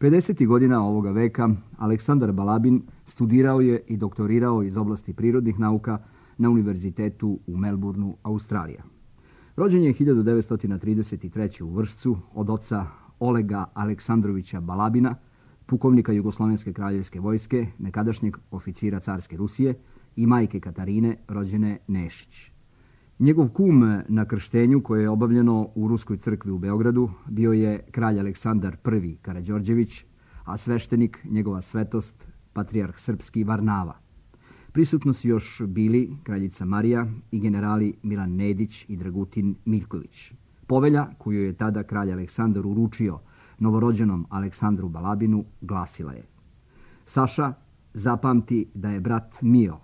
50. godina ovoga veka Aleksandar Balabin studirao je i doktorirao iz oblasti prirodnih nauka na univerzitetu u Melbourneu, Australija. Rođen je 1933. u Vršcu od oca Olega Aleksandrovića Balabina, pukovnika Jugoslovenske kraljevske vojske, nekadašnjeg oficira carske Rusije, i majke Katarine, rođene Nešić. Njegov kum na krštenju, koje je obavljeno u Ruskoj crkvi u Beogradu, bio je kralj Aleksandar I Karađorđević, a sveštenik njegova svetost, patrijarh srpski Varnava. Prisutno su još bili kraljica Marija i generali Milan Nedić i Dragutin Miljković. Povelja koju je tada kralj Aleksandar uručio novorođenom Aleksandru Balabinu glasila je: Saša, zapamti da je brat mio,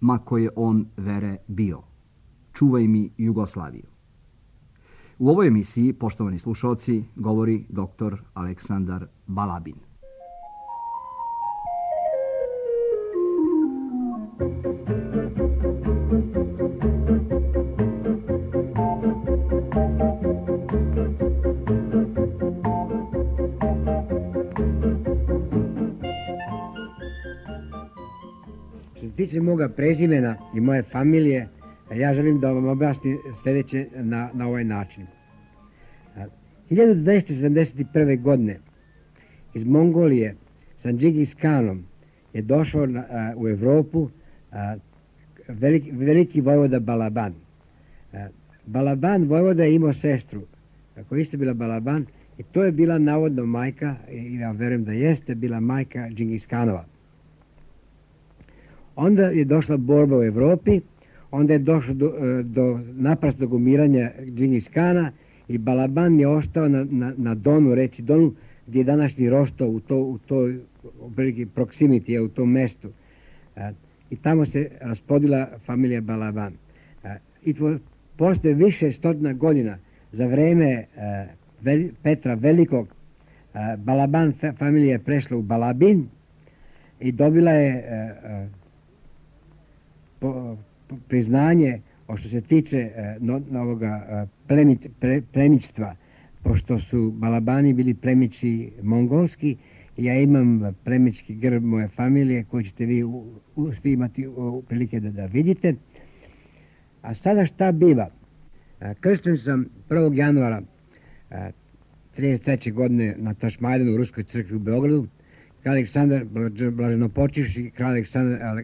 ma koje on vere bio. Čuvaj mi Jugoslaviju. U ovoj emisiji, poštovani slušalci, govori dr. Aleksandar Balabin. Što se tiče moga prezimena i moje familije, ja želim da vam objasnim sljedeće na ovaj način. 1271. godine iz Mongolije sa Džingis Kanom je došao u Evropu veliki vojvoda Balaban. Balaban vojvoda je imao sestru koja isto bila Balaban i to je bila navodno majka, i ja verujem da jeste bila majka Džingis Kanova. Onda je došla borba u Evropi, onda je došlo do naprasnog umiranja Džingis Kana i Balaban je ostao na Donu, reci Donu, gdje je današnji Rostov, u toj proximity, u tom mestu. I tamo se raspodila familija Balaban. I posle više stotina godina, za vreme Petra Velikog, Balaban familija je prešla u Balabin i dobila je priznanje što se tiče ovoga plemićstva, pošto su Balabani bili plemići mongolski, ja imam plemićki grb moje familije koji ćete vi svi imati prilike da vidite. A sada šta biva? Kršten sam 1. januara 1933. godine na Tašmajdanu u Ruskoj crkvi u Beogradu. Kralj Aleksandar blaženopočivši, kralj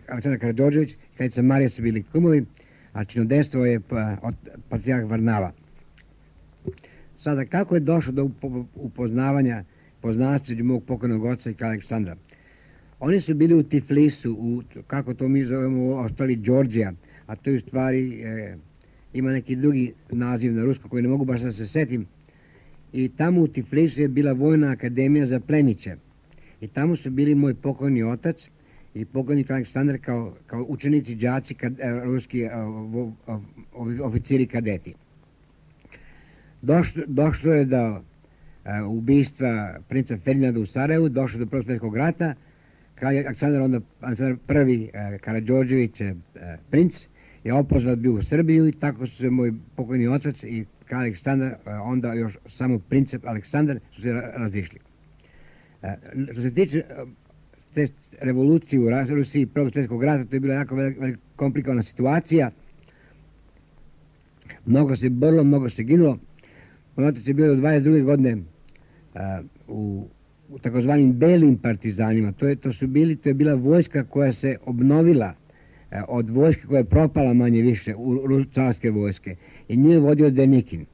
Aleksandar Karađorđević, kraljica Marija su bili kumovi, a činodejstvo je patrijarh Varnava. Sada, kako je došlo do upoznavanja, poznanstva između mog pokojnog oca i kralja Aleksandra? Oni su bili u Tiflisu, kako to mi zovemo u Australiji, Đorđija, a to je u stvari ima neki drugi naziv na rusko koji ne mogu baš da se setim. I tamo u Tiflisu je bila vojna akademija za plemiće. I tamo su bili moj pokojni otac i pokojni kralj Aleksandar kao učenici, đaci, ruski oficiri kadeti. Došlo je do ubistva princa Ferdinanda u Sarajevu, došlo do Prvog svjetskog rata. Kralj Aleksandar I Karađorđević, princ, je opozvat bio u Srbiju i tako su se moj pokojni otac i kralj Aleksandar, onda još samo princ Aleksandar, su se razišli. Što se tiče te revolucije u Rusiji Prvog svjetskog rata, to je bila jako komplikovana situacija. Mnogo se borilo, mnogo se ginulo. Moj otac je bio do 22. godine u takozvanim belim partizanima. To je bila vojska koja se obnovila od vojske koja je propala manje više u carske vojske. I nju je vodio Denikin.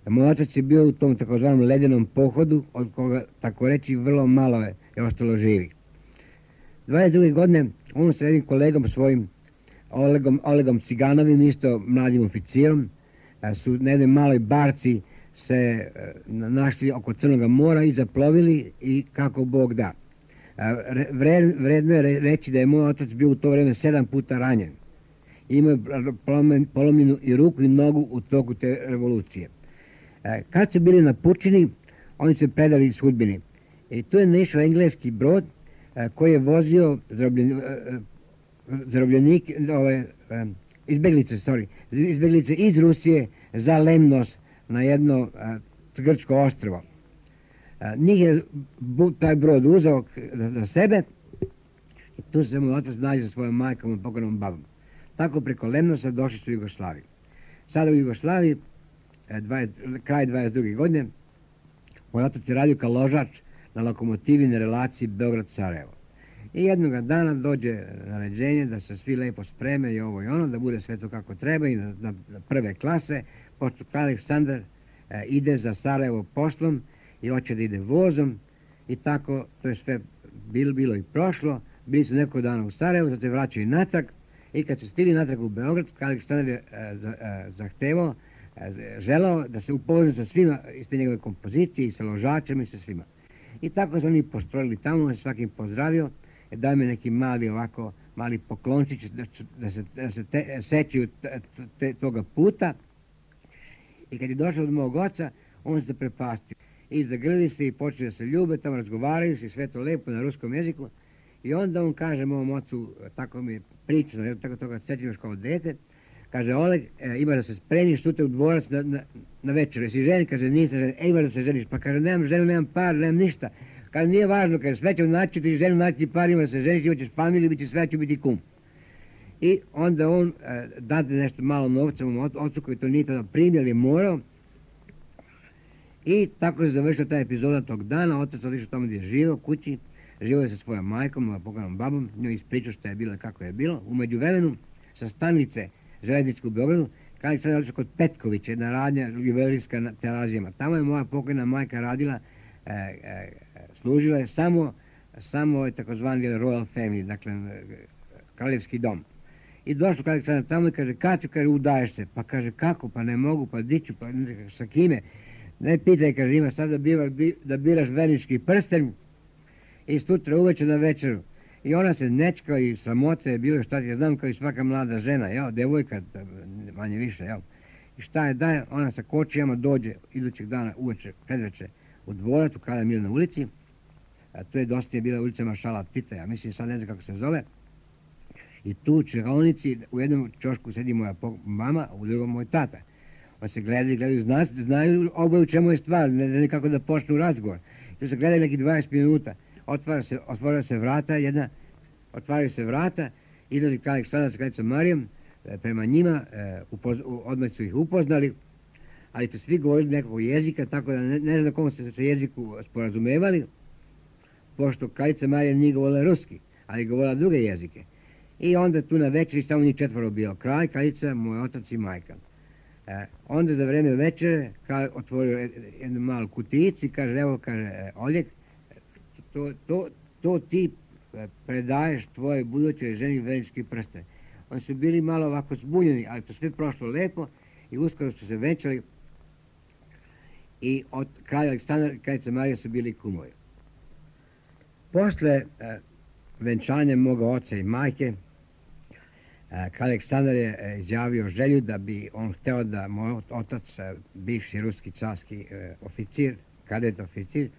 Moj otac je bio u tom takozvanom ledenom pohodu, od koga, tako reći, vrlo malo je ostalo živih. 22. godine on sa jednim kolegom svojim, Olegom Ciganovim, isto mladim oficirom, su na jednoj maloj barci se našli oko Crnog mora i zaplovili i kako Bog da. Vredno je reći da je moj otac bio u to vreme 7 puta ranjen. Imao je polomljenu i ruku i nogu u toku te revolucije. Kad su bili na pučini, oni su predali sudbini. I tu je naišao engleski brod koji je vozio izbeglice iz Rusije za Lemnos na jedno grčko ostrvo. Njih je taj brod uzeo za sebe i tu se moj otac nađe sa svojom majkom i pokojnom babom. Tako preko Lemnosa došli su u Jugoslaviju. Sada u Jugoslaviji, kraj 22. godine, moj otac je radio kao ložač na lokomotivi na relaciji Beograd-Sarajevo. I jednog dana dođe naređenje da se svi lepo spreme i ovo i ono, da bude sve to kako treba i na prve klase, pošto Aleksandar ide za Sarajevo poslom i hoće da ide vozom i tako, to je sve bilo i prošlo. Bili su neko dana u Sarajevu, zato se vraćaju natrag i kad su stigli natrag u Beograd, Aleksandar je zahtevao, želao da se upozna sa svima iz te njegove kompozicije i sa ložačem i sa svima. I tako su oni postrojili tamo, svakim pozdravio, daj me neki mali poklončić da se sećaju toga puta. I kad je došao od mog oca, on se prepastio. I zagrlili se i počeli da se ljube, tamo razgovaraju se sve to lepo na ruskom jeziku. I onda on kaže mom ocu, tako mi je pričano, tako toga sećam još kao dete, kaže, Oleg, imaš da se spremiš sutra u dvorac na večer. Jesi ženi? Kaže, nisam ženi. Imaš da se ženiš. Pa kaže, nemam ženu, nemam par, nemam ništa. Kaže, nije važno, kaže, sve ću naći ti ženu, naći ti par, imaš da se ženiš, imaćeš familiju, bit će sve, ću biti kum. I onda on dade nešto malo novca mom ocu koji to nije tada primio, ali je morao. I tako se završila ta epizoda tog dana. Otac otišao tamo gdje je živio, kući. Živio je sa svojom majkom, pokojnom babom. Njoj ispričao što je bilo i kako je bilo. U međuvremenu, sa stanice željezničke u Beogradu, kada sam otišao kod Petkovića, jedna radnja juvelerska na Terazijama. Tamo je moja pokojna majka radila, služila je samo takozvani Royal Family, dakle kraljevski dom. I došao kada sam tamo i kaže, Kaću, kaže, udaješ se. Pa kaže, kako, pa ne mogu, pa diću, pa sa kime? Ne pitaj, kaže, ima sad da biraš vernički prsten i sutra uveče na večeru. I ona se nečka i sramote je bilo šta ti, ja znam kao i svaka mlada žena, jel, devojka, manje više, jel. I šta je daje, ona sa kočijama dođe idućeg dana uveče, predveče u dvorac u Kralja Milana ulici, a to je dosta je bila ulica Maršala Tita, ja mislim sad ne znam kako se zove. I tu u čekaonici u jednom čošku sedi moja mama, a u drugom moj tata. On se gledaju, znaju oboje u čemu je stvar, ne kako da počnu razgovor. I tu se gledaju neki 20 minuta. Otvaraju se vrata, izlazi Aleksandar sa kraljicom Marijom, prema njima, odmah su ih upoznali, ali to svi govorili nekog jezika, tako da ne znam na kom se jeziku sporazumevali, pošto kraljica Marija nije govorila ruski, ali govorila druge jezike. I onda tu na večeri samo njih četvoro bio kralj, kraljica, moj otac i majka. Onda za vreme večere kralj otvorio jednu malu kutijicu i kaže, evo, kaže, Oljek, to ti predaješ tvoje budućoj ženi vernički prsten. Oni su bili malo ovako zbunjeni, ali to sve prošlo lepo i uskoro su se venčali i od kralja Aleksandra i kraljica Marija su bili kumovi. Posle venčanja moga oca i majke, kralj Aleksandar je izjavio želju da bi on hteo da moj otac, bivši ruski carski oficir, kadet oficir,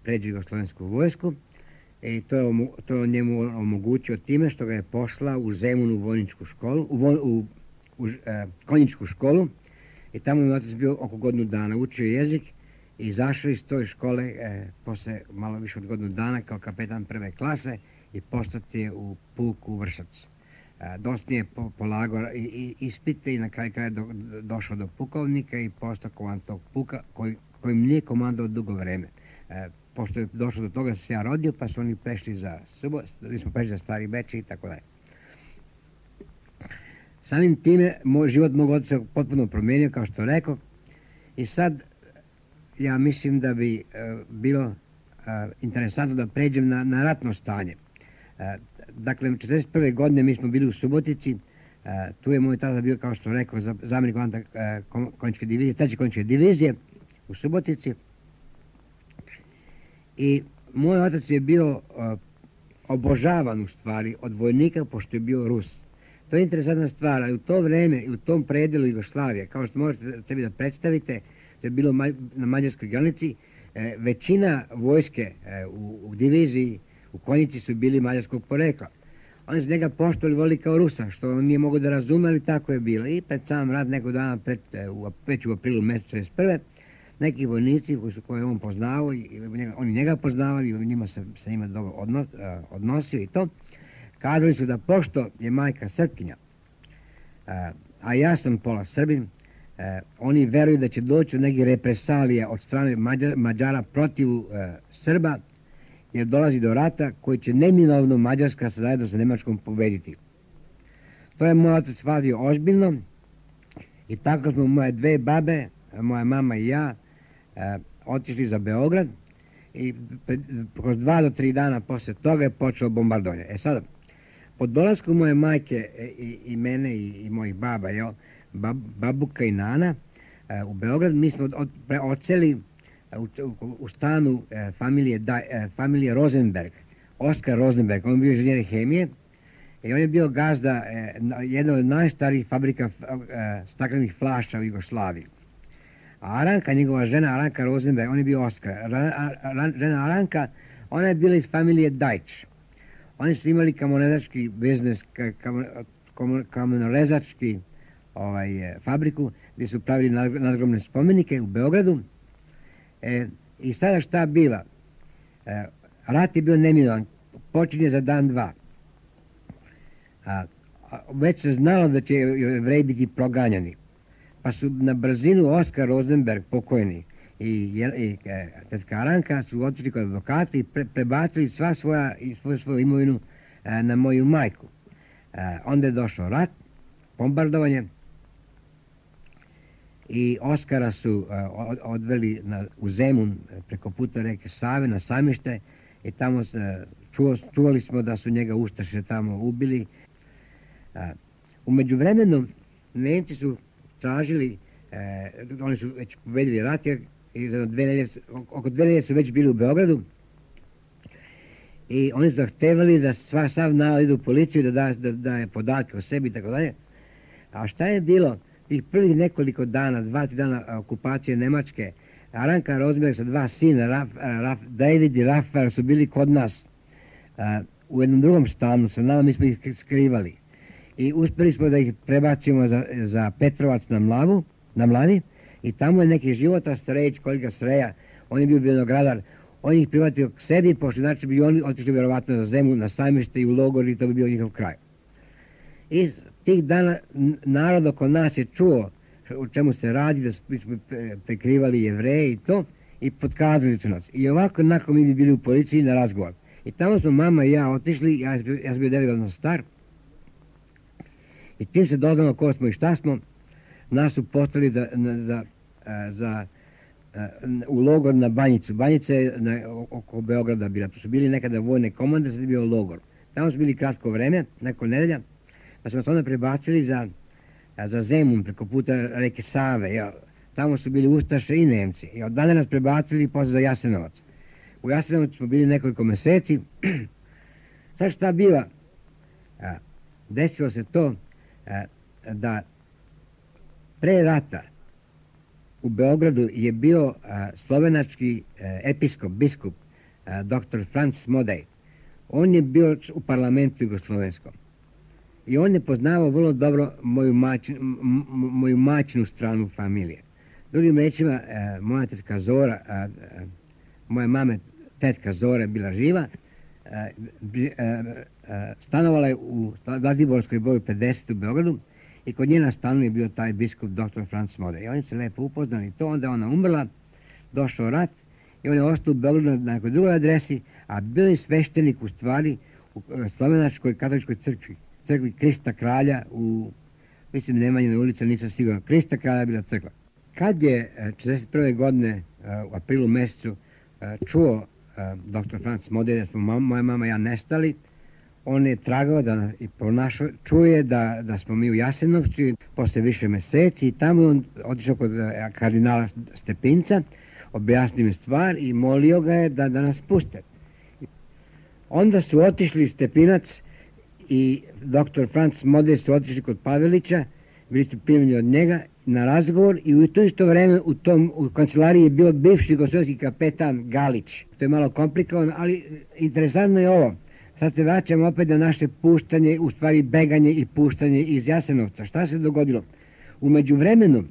pređe Jugoslovensku vojsku i to je njemu omogućio time što ga je poslao u Zemunu vojničku školu, u konjičku školu i tamo je otac bio oko godinu dana, učio jezik i izašao iz toj škole posle malo više od godinu dana kao kapetan prve klase i postati je u puku Vršac. Dosta je polagao ispite i na kraju kraja došao do pukovnika i postao komandant tog puka kojim nije komandao dugo vreme. Pošto je došlo do toga da se ja rodio, pa su oni prešli mi smo prešli za Stari Bečej i tako dalje. Samim time, život mog oca se potpuno promijenio, kao što rekao, i sad ja mislim da bi bilo interesantno da pređem na ratno stanje. Dakle, 1941. godine mi smo bili u Subotici, tu je moj tata bio, kao što rekao, zamjenik komandanta konjičke divizije, treće konjičke divizije u Subotici. I moj otac je bio obožavan u stvari od vojnika, pošto je bio Rus. To je interesantna stvar, ali u to vreme i u tom predelu Jugoslavije, kao što možete sebi da predstavite, to je bilo na mađarskoj granici, većina vojske u diviziji, u konjici su bili mađarskog porekla. Oni su njega poštovali, volili kao Rusa, što on nije mogo da razume, ali tako je bilo. I pred sam rat nekog dana, već u aprilu mjeseca 1941. neki vojnici koje on poznao, oni njega poznavali, i njima se njima dobro odnosio i to. Kazali su da pošto je majka Srpkinja, a ja sam pola Srbin, oni veruju da će doći do nekih represalija od strane Mađara protiv Srba, jer dolazi do rata koji će neminovno Mađarska zajedno sa Nemačkom pobediti. To je moj otac shvatio ozbiljno i tako smo moje dve babe, moja mama i ja, otišli za Beograd i kroz 2 do 3 dana posle toga je počelo bombardovanje. Sada, po dolasku moje majke i mene i mojih baba, babuka i nana, u Beograd mi smo odseli u stanu familije Rosenberg, Oskar Rosenberg, on je bio inženjer hemije i on je bio gazda jedne od najstarijih fabrika staklenih flaša u Jugoslaviji. A Aranka, njegova žena Aranka Rosenberg, on je bio Oskar. Žena Aranka, ona je bila iz familije Dajč. Oni su imali kamenorezački biznis, kamenorezački fabriku gdje su pravili nadgrobne spomenike u Beogradu. I sada šta biva? Rat je bio neminovan, počinje za dan, dva. Već se znalo da će Jevreji biti proganjani. Pa su na brzinu Oskar Rosenberg, pokojni, i tetka Aranka su otišli kod advokata i prebacili svoju imovinu na moju majku. Onda je došao rat, bombardovanje i Oskara su odveli u Zemun preko puta reke Save na Sajmište i tamo čuvali smo da su njega ustaše tamo ubili. U međuvremenu Nemci su tražili, oni su već pobedili rat i oko 2 nedelje su već bili u Beogradu i oni su zahtevali da sav narod ide u policiju, da daje podatke o sebi i tako dalje. A šta je bilo tih prvih nekoliko dana, 2-3 dana okupacije Nemačke, Aranka Rosenberg sa 2 sina, David i Rafael, su bili kod nas u jednom drugom stanu sa nama, mi smo ih skrivali. I uspjeli smo da ih prebacimo za Petrovac na Mladi i tamo je neki Života Strejić, kolega Streja, on je bio vinogradar, on ih privatio k sebi, pošto znači bi oni otišli vjerovatno za Zemun, na Sajmište i u logor i to bi bio njihov kraj. I tih dana narod oko nas je čuo o čemu se radi, da smo prekrivali Jevreje i to, i potkazali su nas. I ovako nakon mi bi bili u policiji na razgovor. I tamo smo mama i ja otišli, ja sam bio 9 godina star, i tim se doznalo ko smo i šta smo, nas su poslali u logor na Banjicu. Banjica je oko Beograda bila. To su bili nekada vojne komande, sad je bio logor. Tamo su bili kratko vreme, neko nedelja, pa smo se onda prebacili za Zemun preko puta reke Save. Tamo su bili ustaše i Nemci. I od dana nas prebacili posle za Jasenovac. U Jasenovcu smo bili nekoliko meseci. Sad šta biva? Desilo se to da pre rata u Beogradu je bio slovenački episkop, biskup, dr. Franz Modej. On je bio u parlamentu jugoslovenskom. I on je poznavao vrlo dobro moju majčinu stranu familije. Drugim rečima, moja tetka Zora, moje mame tetka Zora je bila živa, stanovala je u Zlatiborskoj broju 50 u Beogradu i kod njena stanu je bio taj biskup dr. Franz Modej. I oni se lepo upoznali to, onda je ona umrla, došao rat i on je ostao u Beogradu na nekoj drugoj adresi, a bio je sveštenik u stvari u slovenačkoj katoličkoj crkvi Krista Kralja mislim Nemanjina ulica, nisam siguran, Krista Kralja bila crkva. Kad je 1941. godine u aprilu mjesecu čuo dr. Franz Modej da smo moja mama i ja nestali, on je tragao i pronašao, čuje da smo mi u Jasenovcu posle više meseci i tamo on otišao kod kardinala Stepinca, objasnio mi stvar i molio ga je da nas puste. Onda su otišli Stepinac i dr. Franz Modej su otišli kod Pavelića, bili su primljeni od njega na razgovor i u to isto vreme u kancelariji je bio bivši jugoslovenski kapetan Galić. To je malo komplikovano, ali interesantno je ovo. Sad se vraćamo opet na naše puštanje, u stvari beganje i puštanje iz Jasenovca. Šta se dogodilo? U međuvremenu,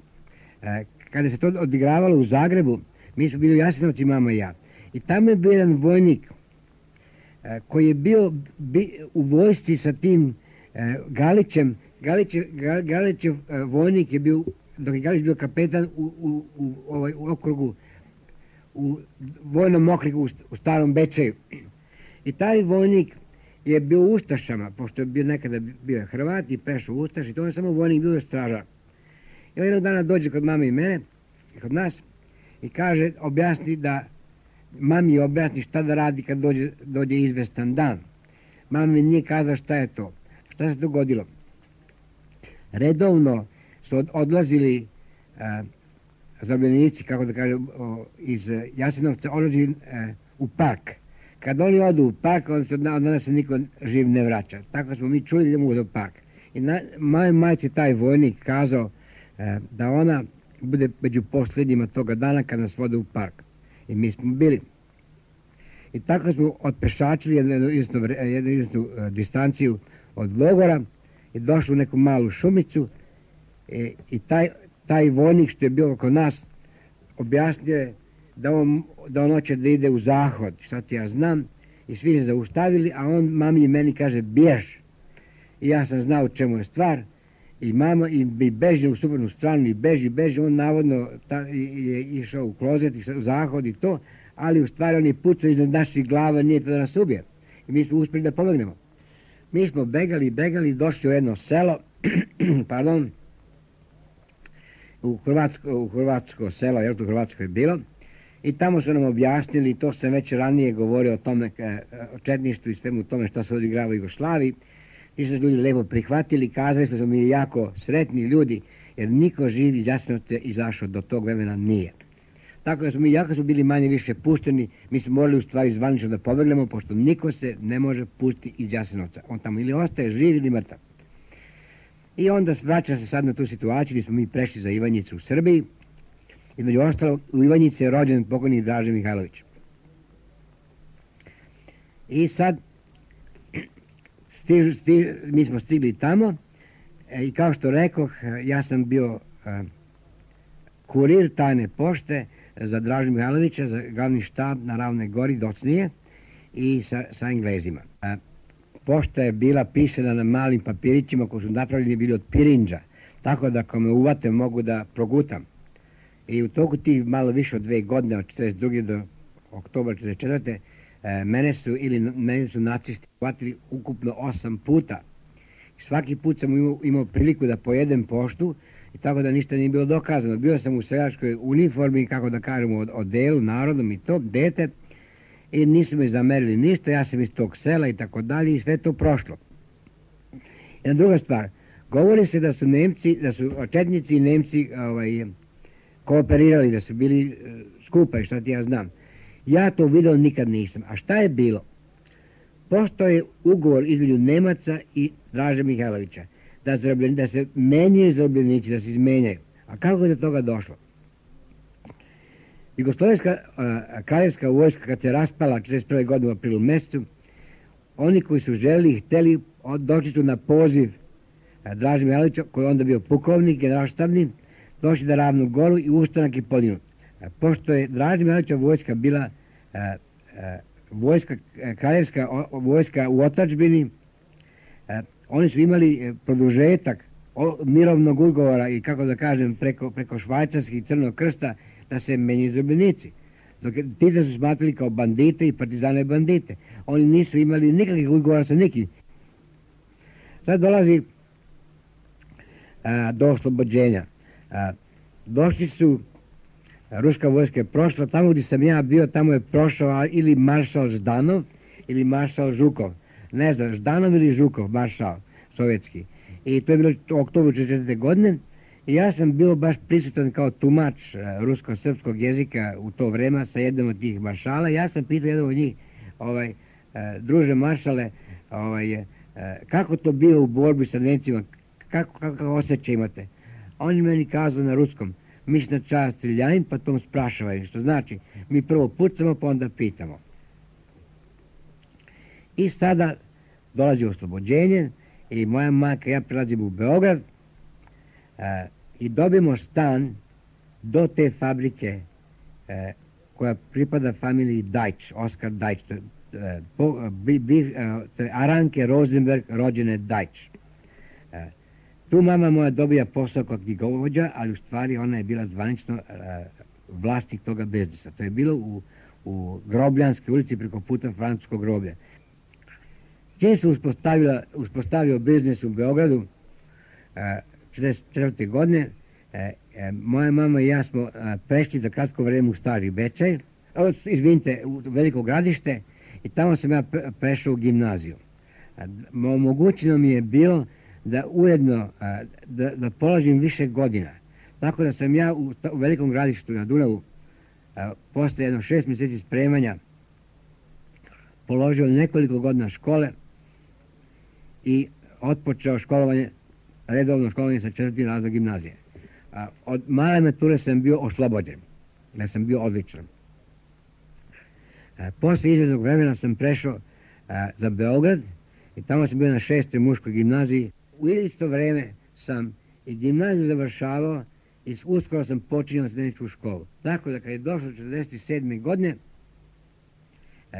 kada se to odigravalo u Zagrebu, mi smo bili u Jasenovci, mama i ja. I tamo je bio jedan vojnik koji je bio u vojsci sa tim Galićem. Galićev vojnik je bio, dok je Galić bio kapetan u okrugu, u vojnom okrugu u Starom Bečeju. I taj vojnik je bio u Ustašama, pošto je bio nekada bio Hrvat i prešao u Ustaš, i to je samo vojnik, bio stražar. I on jednog dana dođe kod mame i mene, kod nas, i kaže, mami objasni šta da radi kad dođe izvestan dan. Mama mi nije kazala šta je to. Šta se dogodilo? Redovno su odlazili zarobljenici, kako da kažem, iz Jasenovca, odlazili u park. Kad oni odu u park, onda se niko živ ne vraća. Tako smo mi čuli da idemo u park. I mojoj majci taj vojnik kazao da ona bude među posljednjima toga dana kad nas vode u park. I mi smo bili. I tako smo otpešačili jednu izvjesnu distanciju od logora i došli u neku malu šumicu i taj vojnik što je bio oko nas objasnio je da on hoće da ide u zahod, šta ti ja znam, i svi se zaustavili, a on mami i meni kaže bjež. I ja sam znao čemu je stvar i mama i beži u suprotnu stranu i beži, on navodno je išao u klozet i u zahod i to, ali u stvari on je pucao iznad naših glava, nije to da nas ubije. I mi smo uspjeli da pobegnemo. Mi smo begali, došli u jedno selo, pardon, u hrvatsko selo, jer to u Hrvatskoj je bilo, i tamo su nam objasnili, to sam već ranije govorio o tome, o četništvu i svemu tome što se odigrava u Jugoslaviji. Ti su ljudi lepo prihvatili, kazali su mi jako sretni ljudi, jer niko živ iz Jasenovca izašao do tog vremena nije. Tako da smo mi, jako smo bili manje više pušteni, mi smo morali u stvari zvanično da pobegnemo, pošto niko se ne može pustiti iz Jasenovca. On tamo ili ostaje živ ili mrtav. I onda vraća se sad na tu situaciju gdje smo mi prešli za Ivanjicu u Srbiji. Između ostalog, u Ivanjici je rođen pokojni Draže Mihajlović. I sad mi smo stigli tamo i kao što rekoh, ja sam bio kurir tajne pošte za Dražu Mihajlovića, za glavni štab na Ravnoj Gori, docnije, i sa Englezima. Pošta je bila pisana na malim papirićima koji su napravljeni bili od pirinđa, tako da ako me uvate mogu da progutam. I u toku tih malo više od 2 godine, od 42. do oktobra 44. Mene su nacisti uhvatili ukupno 8 puta. Svaki put sam imao priliku da pojedem poštu i tako da ništa nije bilo dokazano. Bio sam u seljačkoj uniformi, kako da kažemo, odelu, narodom i to, dete, i nisu me zamerili ništa, ja sam iz tog sela i tako dalje i sve to prošlo. Jedna druga stvar, govori se da su četnici i Nemci kooperirali, da su bili skupa i šta ti ja znam. Ja to video nikad nisam. A šta je bilo? Pošto je ugovor između Nemaca i Draže Mihajlovića da se menjaju zarobljenici, da se izmenjaju. A kako je do toga došlo? Jugoslovenska kraljevska vojska kad se raspala 1941. godine u aprilu mjesecu, oni koji su želeli i htjeli doći su na poziv Draže Mihajlovića, koji je onda bio pukovnik, generalštabni, došli na Ravnu Goru i ustanak je podignut. Pošto je Draže Mihajlovića vojska bila kraljevska vojska u otadžbini, oni su imali produžetak mirovnog ugovora i, kako da kažem, preko švajcarskih i Crnog krsta da se menjaju zarobljenici. Dok Tita su smatrali kao bandite i partizane bandite. Oni nisu imali nikakvih ugovora sa nikim. Sad dolazi do oslobođenja. Došli su, ruska vojska je prošla, tamo gdje sam ja bio, tamo je prošao ili maršal Ždanov ili maršal Žukov. Ne znam, Ždanov ili Žukov, maršal sovjetski. I to je bilo u oktobru 1944. godine. I ja sam bio baš prisutan kao tumač rusko-srpskog jezika u to vreme sa jednom od tih maršala. Ja sam pitao jednog od njih, druže maršale, kako to bilo u borbi sa Nemcima, kako osjećaj imate? Oni meni kazali na ruskom, mi se na čast streljajim, pa tom sprašavaju, što znači, mi prvo pucamo, pa onda pitamo. I sada dolazi oslobođenje i moja majka i ja prelazimo u Beograd i dobijemo stan do te fabrike koja pripada familiji Dajč, Oskar Dajč, to je Aranke Rosenberg, rođene Dajč. Tu mama moja dobija posao kao knjigovođa, ali u stvari ona je bila zvanično vlasnik toga biznisa. To je bilo u Grobljanskoj ulici preko puta Francuskog groblja. Čim se uspostavio biznis u Beogradu 1944. godine, moja mama i ja smo prešli za kratko vreme u Stari Bečej, u Veliko Gradište, i tamo sam ja prešao u gimnaziju. Omogućeno mi je bilo da ujedno da polažim više godina. Tako da sam ja u Velikom Gradištu na Dunavu posle jedno 6 mjeseci spremanja položio nekoliko godina škole i otpočeo redovno školovanje sa 4. razredom gimnazije. Od male mature sam bio oslobođen, da sam bio odličan. Posle izvjesnog vremena sam prešao za Beograd i tamo sam bio na 6. muškoj gimnaziji. U isto vreme sam i gimnaziju završavao i uskoro sam počinjao studeničku školu. Tako da kad je došlo 1947. godine,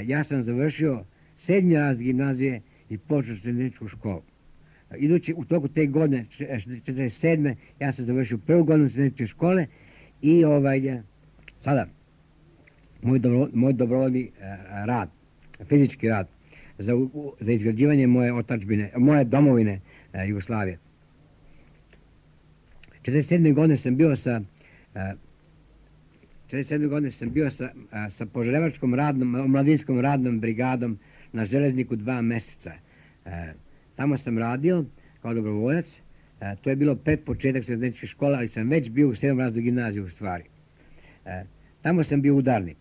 ja sam završio 7. razred gimnazije i počeo studeničku školu. Idući u toku te godine, 1947. ja sam završio prvu godinu studeničke škole i sada moj dobrovoljni rad, fizički rad za izgrađivanje moje domovine Jugoslavije. 1947. godine sam bio sa požarevačkom omladinskom radnom brigadom na Železniku 2 meseca. Tamo sam radio kao dobrovoljac. To je bilo pred početak studeničke škole, ali sam već bio u 7. razredu gimnazije u stvari. Tamo sam bio udarnik.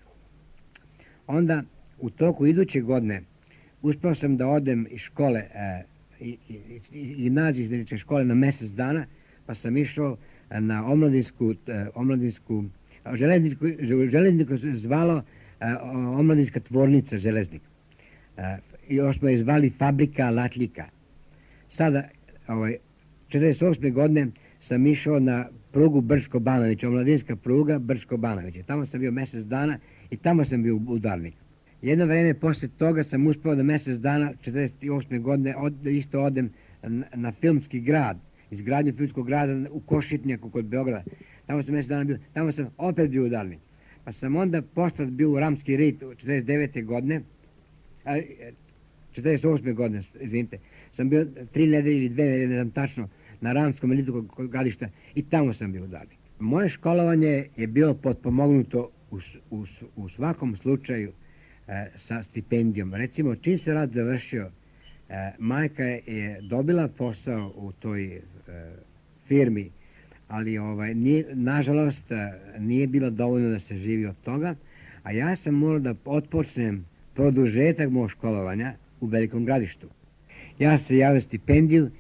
Onda u toku iduće godine uspeo sam da odem iz škole, gimnazije studeničke škole na mjesec dana, pa sam išao na omladinsku železniku se zvalo omladinska tvornica železnik. I još smo je zvali fabrika Latlika. Sada, 1948. godine sam išao na prugu Brčko-Banović, omladinska pruga Brčko-Banović. Tamo sam bio mjesec dana i tamo sam bio udarnik. Jedno vreme posle toga sam uspeo da mjesec dana 1948. godine isto odem na filmski grad, izgradnju filmskog grada u Košitnjaku kod Beograda. Tamo sam mjesec dana bio, tamo sam opet bio udarnik. Pa sam onda posle bio u Ramski rit 49. godine, 48. godine, izvinite, sam bio 3 nedelje ili 2 nedelje, ne znam tačno, na Ramskom ritu kod Gradišta i tamo sam bio udarnik. Moje školovanje je bilo potpomognuto u svakom slučaju sa stipendijom. Recimo, čim se rad završio, majka je dobila posao u toj firmi, ali nažalost nije bilo dovoljno da se živi od toga, a ja sam morao da otpočnem produžetak mog školovanja u Velikom Gradištu. Ja se javio stipendiju,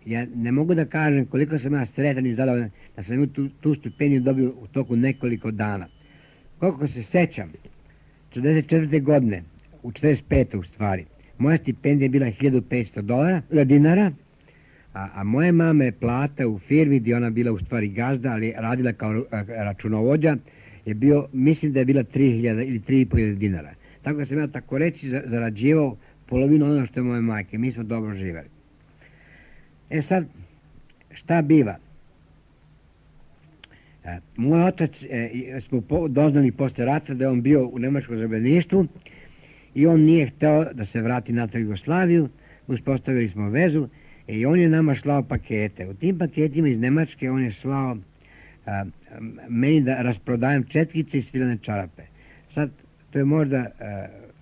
ja ne mogu da kažem koliko sam ja sretan i zadovoljan da sam tu stipendiju dobio u toku nekoliko dana. Koliko se sećam, 1944. godine, u 1945. u stvari, moja stipendija je bila $1.500 dinara, a moje mame plata u firmi gdje ona bila u stvari gazda, ali radila kao računovođa, je bio, mislim da je bila 3.000 ili 3.500 dinara. Tako da sam ja tako reći zarađivao polovinu ono što je moje majke. Mi smo dobro živjeli. Sad, šta biva? Moj otac, smo doznali posle rata da je on bio u nemačkom zarobljeništvu i on nije hteo da se vrati natrag Jugoslaviju. Uspostavili smo vezu i on je nama slao pakete. U tim paketima iz Nemačke on je slao meni da rasprodajem četkice i svilane čarape. Sad, to je možda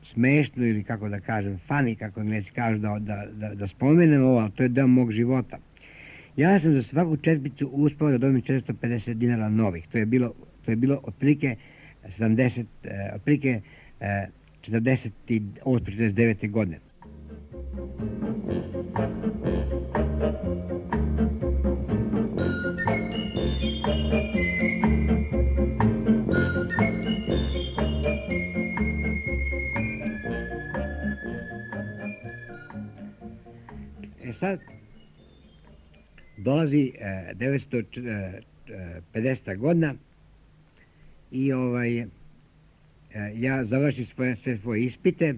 smešno ili kako da kažem, funny, kako Englesi kažu da spomenem ovo, ali to je deo mog života. Ja sam za svaku četkicu uspeo da dobijem 450 dinara novih. To je bilo otprilike 48-49. godine. Sad dolazi 1950. godina i ja završim sve svoje ispite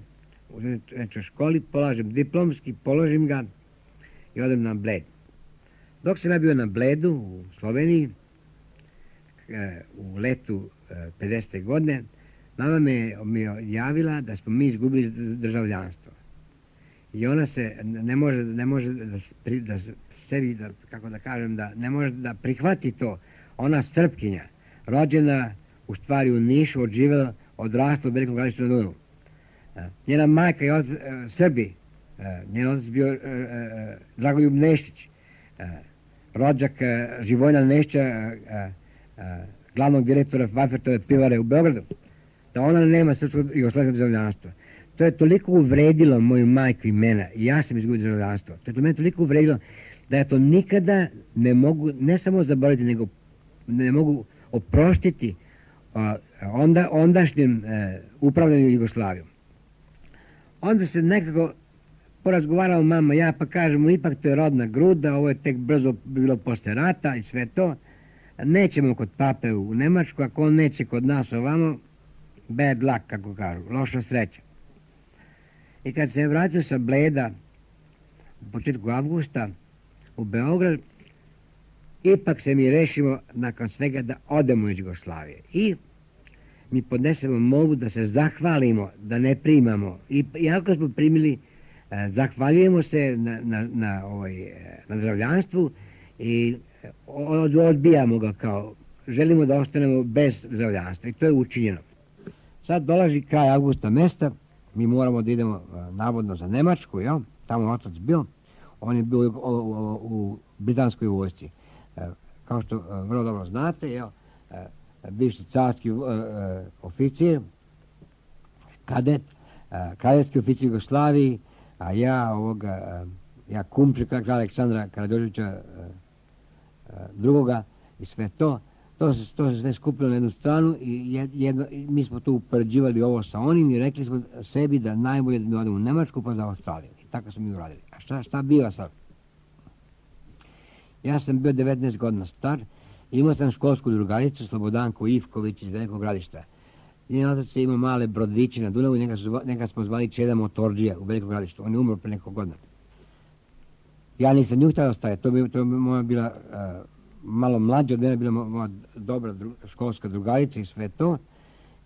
u školi, polažem diplomski, položim ga i odem na Bled. Dok sam ja bio na Bledu u Sloveniji, u letu 50. godine, mama mi je javila da smo mi izgubili državljanstvo. I ona se ne može ne može da prihvati to. Ona Srpkinja, rođena u stvari u Nišu, odživjela, odrasla u Velikom Gradištu na Dunavu. Njena majka je Srbi, njen otac bio Dragoljub Nešić, rođak Živojna Nešića, glavnog direktora Vajfertove pivare u Beogradu, da ona nema srpskog jugoslovenskog državljanstva. To je toliko uvredilo moju majku i mene, i ja sam izgubio državljanstvo. To je to mene toliko uvredilo da ja to nikada ne mogu, ne samo zaboraviti, nego ne mogu oprostiti ondašnjem upravljanju Jugoslavijom. Onda se nekako porazgovarala mama, ja pa kažemo, ipak to je rodna gruda, ovo je tek brzo bilo posle rata i sve to. Nećemo kod pape u Nemačku, ako on neće kod nas ovamo, bad luck, kako kažu, loša sreća. I kad se vratio sa Bleda u početku avgusta u Beograd, ipak se mi rešimo nakon svega da odemo iz Jugoslavije. I mi podnesemo molbu da se zahvalimo, da ne primamo. I ako smo primili, zahvaljujemo se na državljanstvu i odbijamo ga kao, želimo da ostanemo bez državljanstva. I to je učinjeno. Sad dolazi kraj avgusta mesta, mi moramo da idemo navodno za Nemačku, jel? Tamo je otac bio, on je bio u britanskoj vojsci. Kao što vrlo dobro znate, jel? Bivši carski oficir, kadet, kadetski oficir Jugoslaviji, a ja kumčik kralja Aleksandra Karađorđevića drugoga i sve to. To se sve skupilo na jednu stranu i mi smo tu upoređivali ovo sa onim i rekli smo sebi da najbolje da mi odemo u Nemačku pa za Australiju. I tako smo mi uradili. A šta biva sad? Ja sam bio 19 godina star, imao sam školsku drugaricu Slobodanku Ivković iz Velikog Gradišta. Njen otac je imao male brodiće na Dunavu, njega smo zvali Čeda Motorđija u Velikom Gradištu. On je umro pre nekog godina. Ja nisam nju htio ostaviti, to bi moja bila malo mlađa od mene, bila moja dobra školska drugarica i sve to.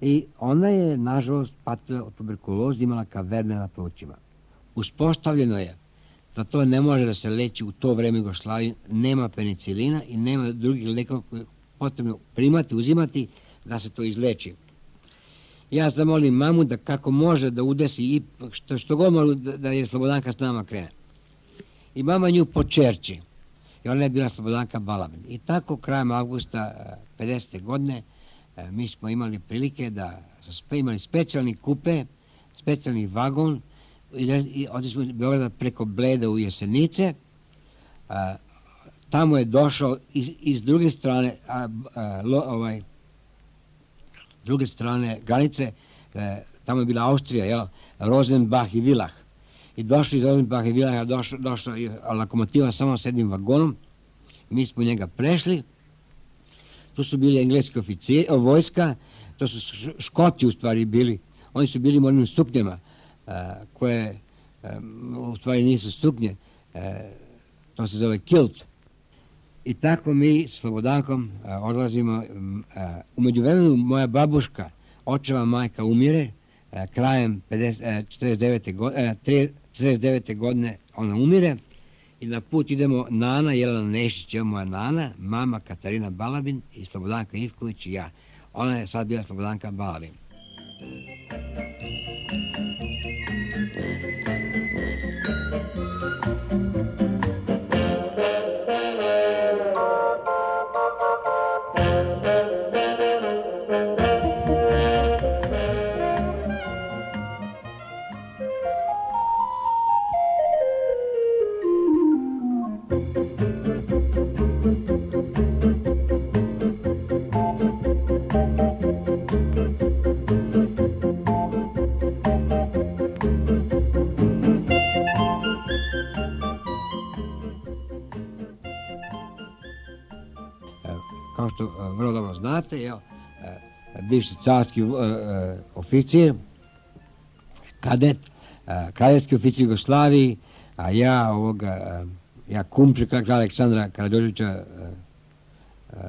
I ona je, nažalost, patila od tuberkuloze, imala kaverne na plućima. Uspostavljeno je da to ne može da se leči u to vreme Jugoslavije, nema penicilina i nema drugih lekova koje potrebno primati, uzimati da se to izleči. Ja zamolim mamu da kako može da udesi i što god može da je Slobodanka s nama krene. I mama nju počerči. I ona je bila Slobodanka Balabin. I tako krajem avgusta 50. godine mi smo imali prilike da smo imali specijalni kupe, specijalni vagon i otišli smo iz Beograda preko Bleda u Jesenice. Tamo je došao iz druge strane druge strane granice, tamo je bila Austrija, jel? Rosenbach i Villach. I došli iz Rosenbach i Villacha, došla lokomotiva samo s jednim vagonom. Mi smo njega prešli. Tu su bili engleski vojska, to su Škoti u stvari bili. Oni su bili u onim suknjama koje u stvari nisu suknje. To se zove kilt. I tako mi s Slobodankom odlazimo. U međuvremenu moja babuška, očeva majka, umire. Krajem 49. godine ona umire. I na put idemo Nana, Jelena Nešić, moja Nana, mama Katarina Balabin i Slobodanka Ivković i ja. Ona je sad bila Slobodanka Balabin. Kao što vrlo dobro znate, bivši carski oficir, kadet, kraljevski oficir Jugoslaviji, a ja kumče kralja Aleksandra Karađorđevića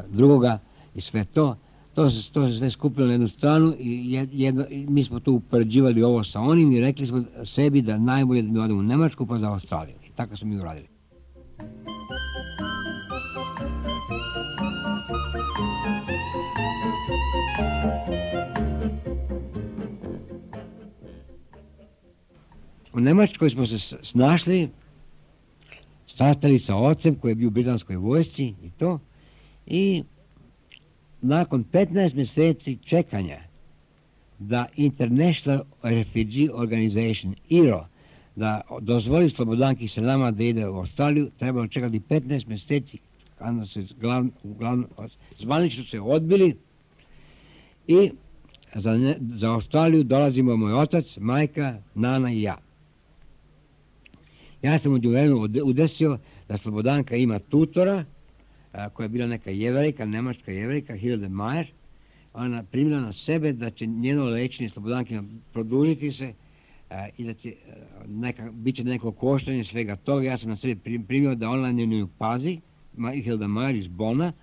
drugoga i sve to. To se sve skupilo na jednu stranu i mi smo tu upoređivali ovo sa onim i rekli smo sebi da najbolje da mi odemo u Nemačku pa za Australiju. I tako smo mi uradili. U Nemačkoj smo se snašli, sastali sa ocem koji je bio u britanskoj vojsci i to. I nakon 15 mjeseci čekanja da International Refugee Organization, IRO, da dozvoli Slobodanki sa nama da ide u Australiju, trebalo čekati 15 mjeseci, kada se zvanično se odbili i za Australiju dolazimo moj otac, majka, nana i ja. Ja sam u vremenu udesio da Slobodanka ima tutora, koja je bila neka jevrejka, nemačka jevrejka, Hilde Mayer. Ona primila na sebe da će njeno lečenje Slobodankina produžiti se i da će bit će neko koštanje svega toga. Ja sam na sebe primio da ona nju pazi, Hilde Mayer iz Bona,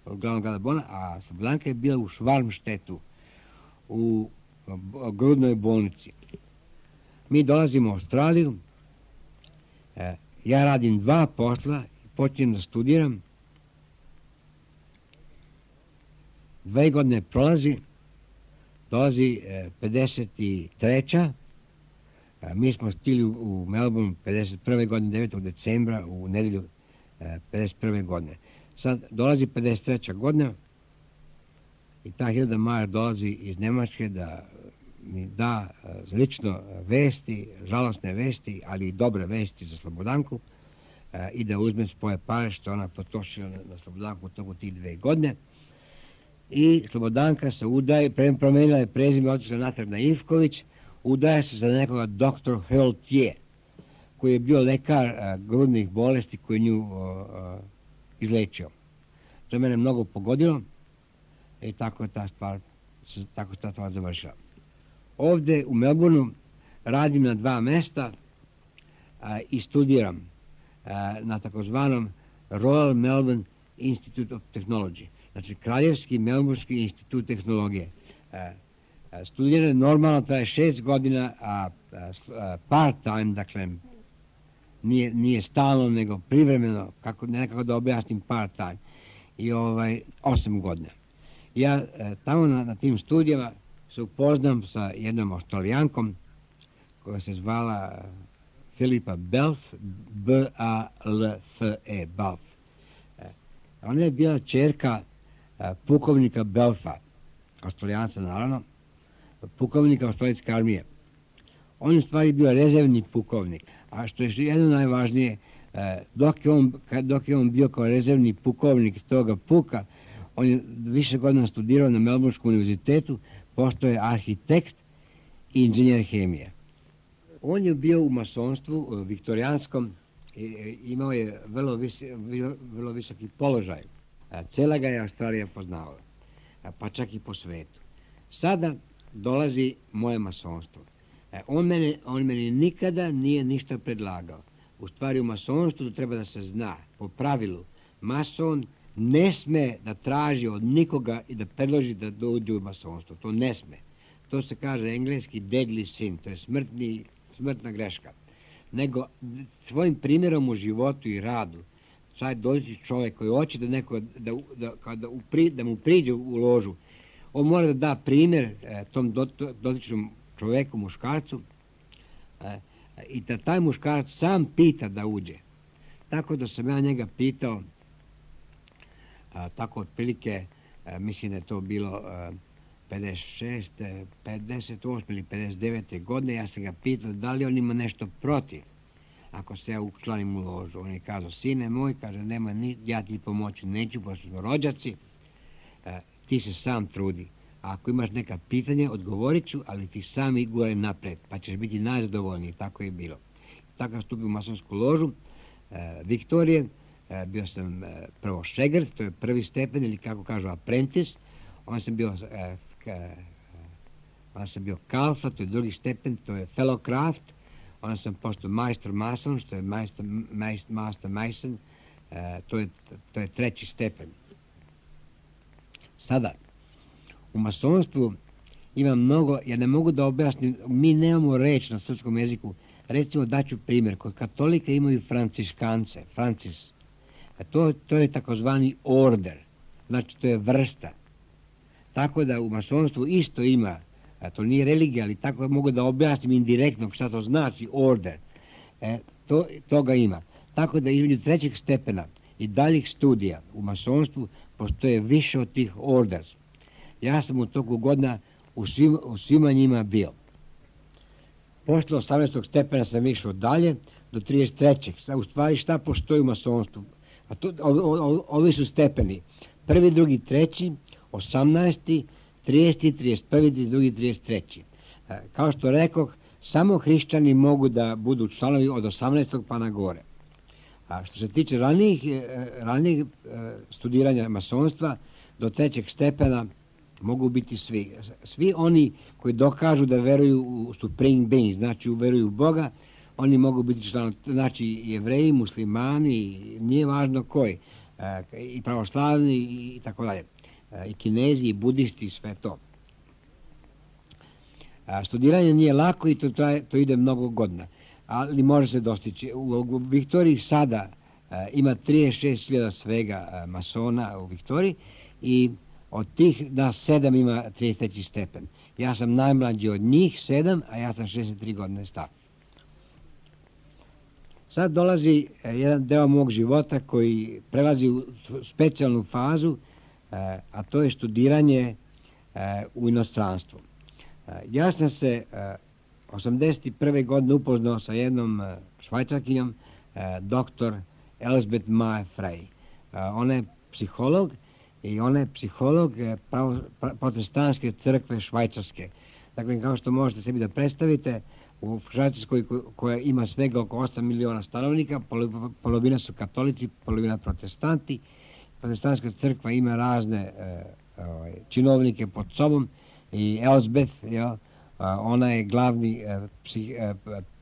glavnog grada Bona, a Slobodanka je bila u Schwarmstedtu, u grudnoj bolnici. Mi dolazimo u Australiju, ja radim 2 posla, počinjem da studiram. 2 godine dolazi 53. Mi smo stigli u Melbourne 51. godine, 9. decembra, u nedelju 51. godine. Sad dolazi 53. godina i ta Hilde Mayer dolazi iz Nemačke da mi da lično vesti, žalostne vesti, ali i dobre vesti za Slobodanku i da uzme svoje pare što ona potrošila na Slobodanku u toku tih 2 godine. I Slobodanka se udaje, promenila je prezime, otišla natrag na Ivković, udaje se za nekoga dr. Heltier, koji je bio lekar grudnih bolesti koji nju izlečio. To je mene mnogo pogodilo i tako je ta stvar završila. Ovdje u Melbourneu radim na 2 mjesta i studiram na takozvanom Royal Melbourne Institute of Technology. Znači, Kraljevski Melbournski institut tehnologije. Studiranje normalno traje 6 godina, a part-time, dakle, nije stalno, nego privremeno, nekako da objasnim part-time, i 8 godina. Ja tamo na tim studijama se upoznam sa jednom Australijankom koja se zvala Filipa Belf, B-A-L-F-E, Belf. Ona je bila ćerka pukovnika Belfa, Australijanca naravno, pukovnika Australijske armije. On je u stvari bio rezervni pukovnik, a što je jedno najvažnije, dok je on bio kao rezervni pukovnik toga puka, on je više godina studirao na Melbourneskom univerzitetu, postao je arhitekt i inženjer hemije. On je bio u masonstvu viktorijanskom i imao je vrlo visoki položaj. Cela ga je Australija poznavala, pa čak i po svetu. Sada dolazi moje masonstvo. On meni nikada nije ništa predlagao. U stvari u masonstvu treba da se zna, po pravilu, mason ne sme da traži od nikoga i da predloži da dođe u masonstvo. To ne sme. To se kaže engleski deadly sin, to je smrtna greška. Nego svojim primjerom u životu i radu, sad dođe čovjek koji hoće da mu priđe u ložu, on mora da da primjer tom dotičnom čovjeku, muškarcu, i da taj muškarac sam pita da uđe. Tako da sam ja njega pitao, tako otprilike, mislim da je to bilo 56, 58 ili 59. godine, ja sam ga pitao da li on ima nešto protiv ako se ja učlanim u ložu. On je kazao, sine moj, kaže, nema ja ti pomoći neću, pošto smo rođaci, ti se sam trudi. A ako imaš neka pitanja, odgovorit ću, ali ti sam i gore napred, pa ćeš biti najzadovoljniji. Tako je bilo. Tako sam stupio u masonsku ložu Viktorije, bio sam prvo šegrt, to je prvi stepen, ili kako kažu apprentice, onda sam bio onda sam bio Kalfa, to je drugi stepen, to je Fellow Craft, onda sam postao Majstor Mason, što je Master Mason, to je treći stepen. Sada, u masonstvu ima mnogo, ja ne mogu da objasnim, mi nemamo reč na srpskom jeziku. Recimo, daću primjer, kod katolika imaju franciškance, Francis. To je takozvani order, znači to je vrsta. Tako da u masonstvu isto ima, to nije religija, ali tako mogu da objasnim indirektno šta to znači order. Toga ima. Tako da između trećeg stepena i daljih studija u masonstvu postoje više od tih orders. Ja sam u toku godina u svima njima bio. Posle 18. stepena sam išao dalje do 33. U stvari šta postoji u masonstvu? Ovi su stepeni. Prvi, drugi, treći, 18. 30. 31. 32. 33. Kao što rekoh, samo hrišćani mogu da budu članovi od 18. pa na gore. A što se tiče ranijih studiranja masonstva, do trećeg stepena mogu biti svi. Svi oni koji dokažu da veruju u Supreme Being, znači veruju u Boga, oni mogu biti članovi, znači Jevreji, muslimani, nije važno koji, i pravoslavni i tako dalje, i Kinezi, i budisti, i sve to. Studiranje nije lako i to ide mnogo godina, ali može se dostići. U Viktoriji sada ima 36.000 svega masona u Viktoriji i od tih nas 7 ima 33. stepen. Ja sam najmlađi od njih 7, a ja sam 63 godine star. Sad dolazi jedan deo mog života koji prelazi u specijalnu fazu, a to je studiranje u inostranstvu. Ja sam se 81. godine upoznao sa jednom švajcarkinjom, doktor Elsbeth Maja Frey. Ona je psiholog i ona je psiholog protestantske crkve švajcarske. Dakle, kao što možete sebi da predstavite, u Švajcarskoj koja ima svega oko 8 miliona stanovnika, polovina su katolici, polovina protestanti. Protestantska crkva ima razne činovnike pod sobom i Elsbeth, ona je glavni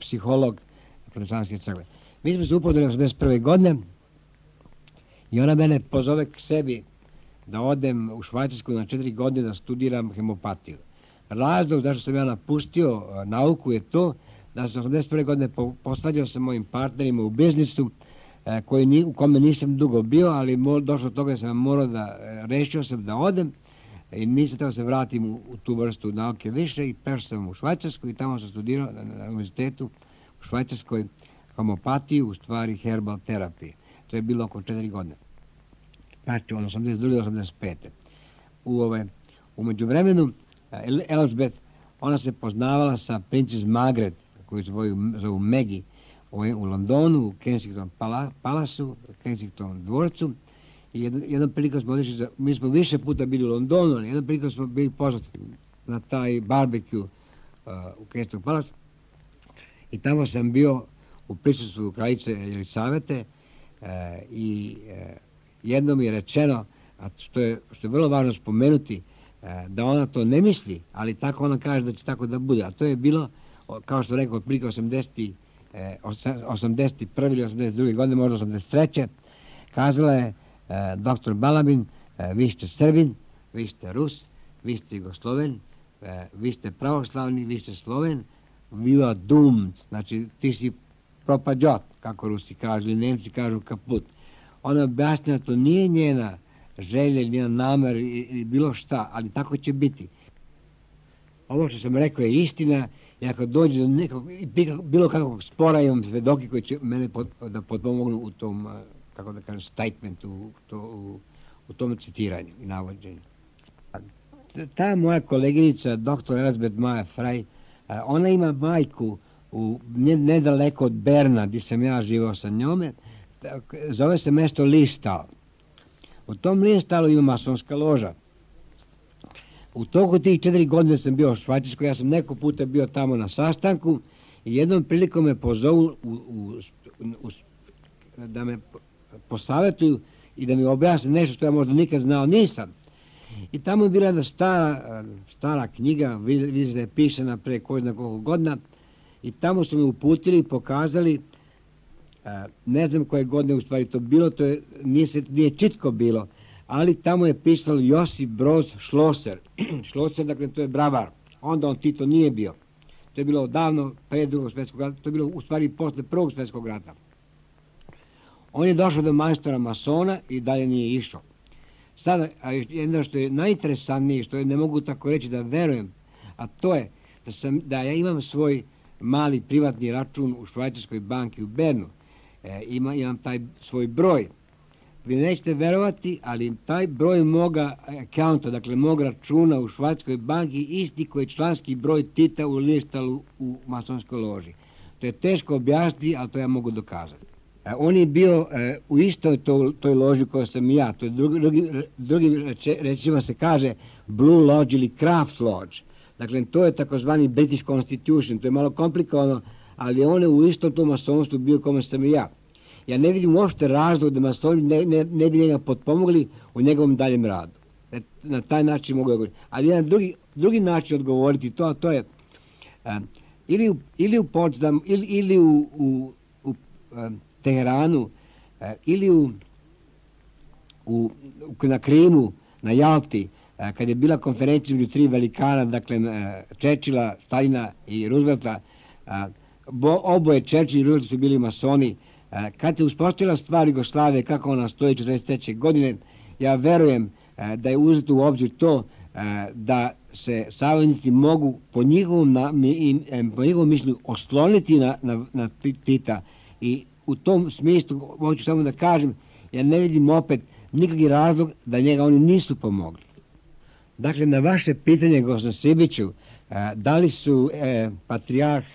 psiholog protestantske crkve. Mi smo se upoznali 81. godine i ona mene pozove k sebi da odem u Švajcarsku na 4 godine da studiram hemopatiju. Razlog zašto sam ja napustio nauku je to da sam 81. godine posvađao sa mojim partnerima u biznisu u kome nisam dugo bio, ali došlo do toga da sam morao rešio sam da odem i nisam trebao se vratim u tu vrstu nauke više i prešao sam u Švajcarsku i tamo sam studirao na univerzitetu u Švajcarskoj homopatiju, u stvari herbal terapije. To je bilo oko 4 godine. Znači, od 82. do 85. U međuvremenu Elsbeth, ona se poznavala sa Princess Margaret, koju se zovu Maggie, u Londonu, u Kensington Palasu, Kensington dvorcu. I jednom prilikom smo odešli, mi smo više puta bili u Londonu, ali jednom prilikom smo bili poznati na taj barbecue u Kensington Palasu. I tamo sam bio u prisustvu kraljice Jelisavete i jednom je rečeno, a što je vrlo važno spomenuti, da ona to ne misli, ali tako ona kaže da će tako da bude. A to je bilo, kao što rekao, otprilike 81. ili 82. godine, možda 83. Kazala je dr. Balabin, vi ste Srbin, vi ste Rus, vi ste Jugosloven, vi ste pravoslavni, vi ste Sloven, we are doomed, znači ti si propađot, kako Rusi kažu, ili Nemci kažu kaput. Ona objasnila, to nije njena želja, njena namer ili bilo šta, ali tako će biti. Ovo što sam rekao je istina i ako dođe do nekog, bilo kakvog spora, imam svedoki koji će mene da potpomognu u tom, kako da kažem, statementu, u tom citiranju i navođenju. Ta moja koleginica, dr. Elsbeth Maja Frey, ona ima majku nedaleko od Berna, gdje sam ja živao sa njome, zove se mesto Listal. U tom Listalu ima masonska loža. U toku tih 4 godine sam bio u Švajcarskoj, ja sam neko puta bio tamo na sastanku i jednom prilikom me pozovu da me posavjetuju i da mi objasne nešto što ja možda nikad znao nisam. I tamo je bila jedna stara knjiga, vidite da je pisana pre ko zna koliko godina, i tamo su me uputili i pokazali, ne znam koje godine u stvari to bilo, nije čitko bilo, ali tamo je pisalo Josip Broz Schlosser. Schlosser, dakle, to je bravar. Onda on Tito nije bio. To je bilo odavno pre Drugog svjetskog rata, to je bilo u stvari posle Prvog svjetskog rata. On je došao do majstora masona i dalje nije išao. Sada, jedno što je najinteresantnije, što je ne mogu tako reći da verujem, a to je da ja imam svoj mali privatni račun u švajcarskoj banki u Bernu. Imam taj svoj broj. Vi nećete verovati, ali taj broj moga accounta, dakle mog računa u švajcarskoj banki, isti koji je članski broj Tita u listalu u masonskoj loži. To je teško objasniti, ali to ja mogu dokazati. On je bio u istoj toj loži koja sam i ja. To je drugi rečima se kaže Blue Lodge ili Craft Lodge. Dakle, to je takozvani British Constitution. To je malo komplikovano, ali on je u istom tom masonstvu bio kome sam i ja. Ja ne vidim uopšte razlog da masoni ne bi njega potpomogli u njegovom daljem radu. Na taj način mogu odgovoriti. Ali jedan drugi način odgovoriti to je ili u Potsdamu, ili u Teheranu, ili na Krimu, na Jalti, kad je bila konferencija među tri velikana, dakle Churchilla, Stalina i Roosevelta, oboje Churchill i Roosevelt su bili masoni. Kad je uspostavila stvar Jugoslavije, kako ona stoji 1943. godine, ja verujem da je uzeto u obzir to da se saveznici mogu po njihovom mišljenju osloniti na Tita, i u tom smislu hoću samo da kažem, ja ne vidim opet nikakvi razlog da njega oni nisu pomogli. Dakle, na vaše pitanje, gospodin Sibiću, da li su patrijarh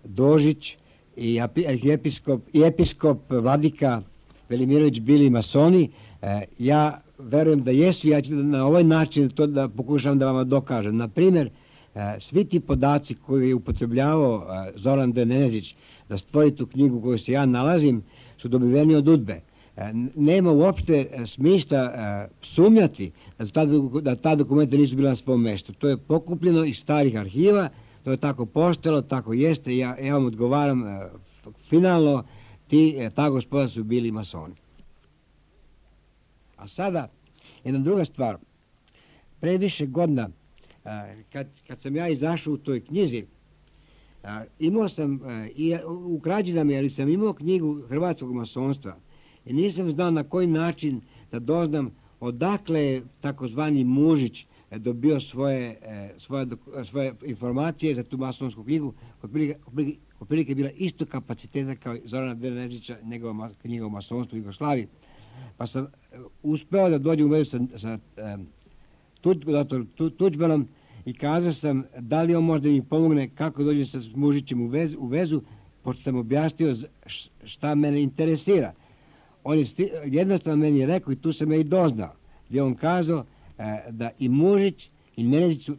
Dožić i episkop Vladika Velimirović bili masoni, ja verujem da jesu, ja ću na ovaj način to da pokušam da vam dokažem. Na primjer, svi ti podaci koje je upotrebljavao Zoran D. Nenezić da stvori tu knjigu koju se ja nalazim, su dobiveni od UDBE. Nema uopšte smisla sumnjati da ta dokumenta nisu bila na svom mjestu. To je pokupljeno iz starih arhiva, to je tako postalo, tako jeste, ja vam odgovaram finalno, ta gospoda su bili masoni. A sada, jedna druga stvar, pre više godina, kad sam ja izašao u toj knjizi, imao sam, u krađinama, ali sam imao knjigu hrvatskog masonstva i nisam znao na koji način da doznam odakle je takozvani Mužić dobio svoje informacije za tu masonsku knjigu, otprilike bila isto kapaciteta kao Zorana Nenezića, njegova knjiga o masonstvu u Jugoslaviji. Pa sam uspeo da dođem u vezu sa Tuđmanom i kazao sam da li on možda mi pomogne kako dođem sa Mužićem u vezu, pošto sam objasnio šta mene interesira. On je jednostavno meni rekao, i tu sam ja i doznao, gdje on kazao da i Mužić i Nenezić su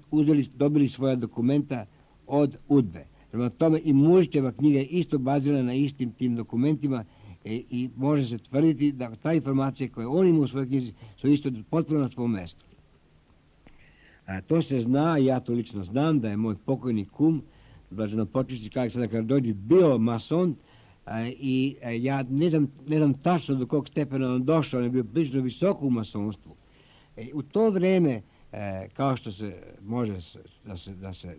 dobili svoja dokumenta od UDBE. Prema tome i Mužićeva knjiga je isto bazirana na istim tim dokumentima i može se tvrditi da ta informacija koje on ima u svojoj knjizi su isto potpuno na svom mjestu. To se zna, ja to lično znam, da je moj pokojni kum, blaženopočivši Aleksandar Karađorđević, bio mason, i ja ne znam tačno do kog stepena on došao, on je bio prilično visoko u masonstvu. U to vrijeme, kao što se može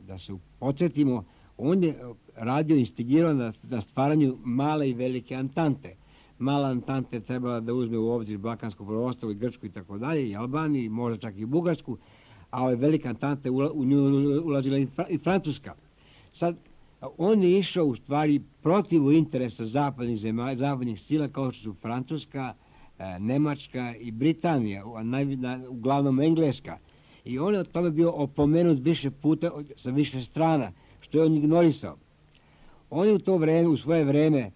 da se podsjetimo, on je radio, instigirao na stvaranju male i velike antante. Mala antante je trebala da uzme u obzir Balkansko poluostrvo i Grčku i tako dalje, i Albaniju, i možda čak i Bugarsku, a ove velike antante u nju ulazila i Francuska. Sad, on je išao u stvari protiv interesa zapadnih sila kao što su Francuska, Nemačka i Britanija, uglavnom Engleska. I on je od tome bio opomenut više puta sa više strana, što je on ignorisao. On je u svoje vrijeme,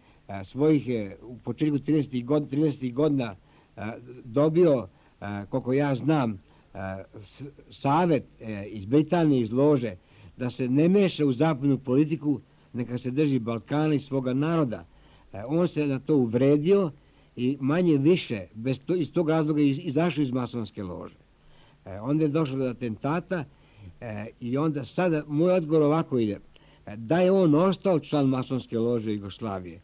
u početku 30. godina, dobio, koliko ja znam, savjet iz Britanije, iz lože, da se ne meša u zapadnu politiku, neka se drži Balkana i svoga naroda. On se na to uvredio i manje više iz tog razloga izašao iz masonske lože. Onda je došlo do atentata i onda sada moj odgovor ovako ide. Da je on ostao član masonske lože Jugoslavije,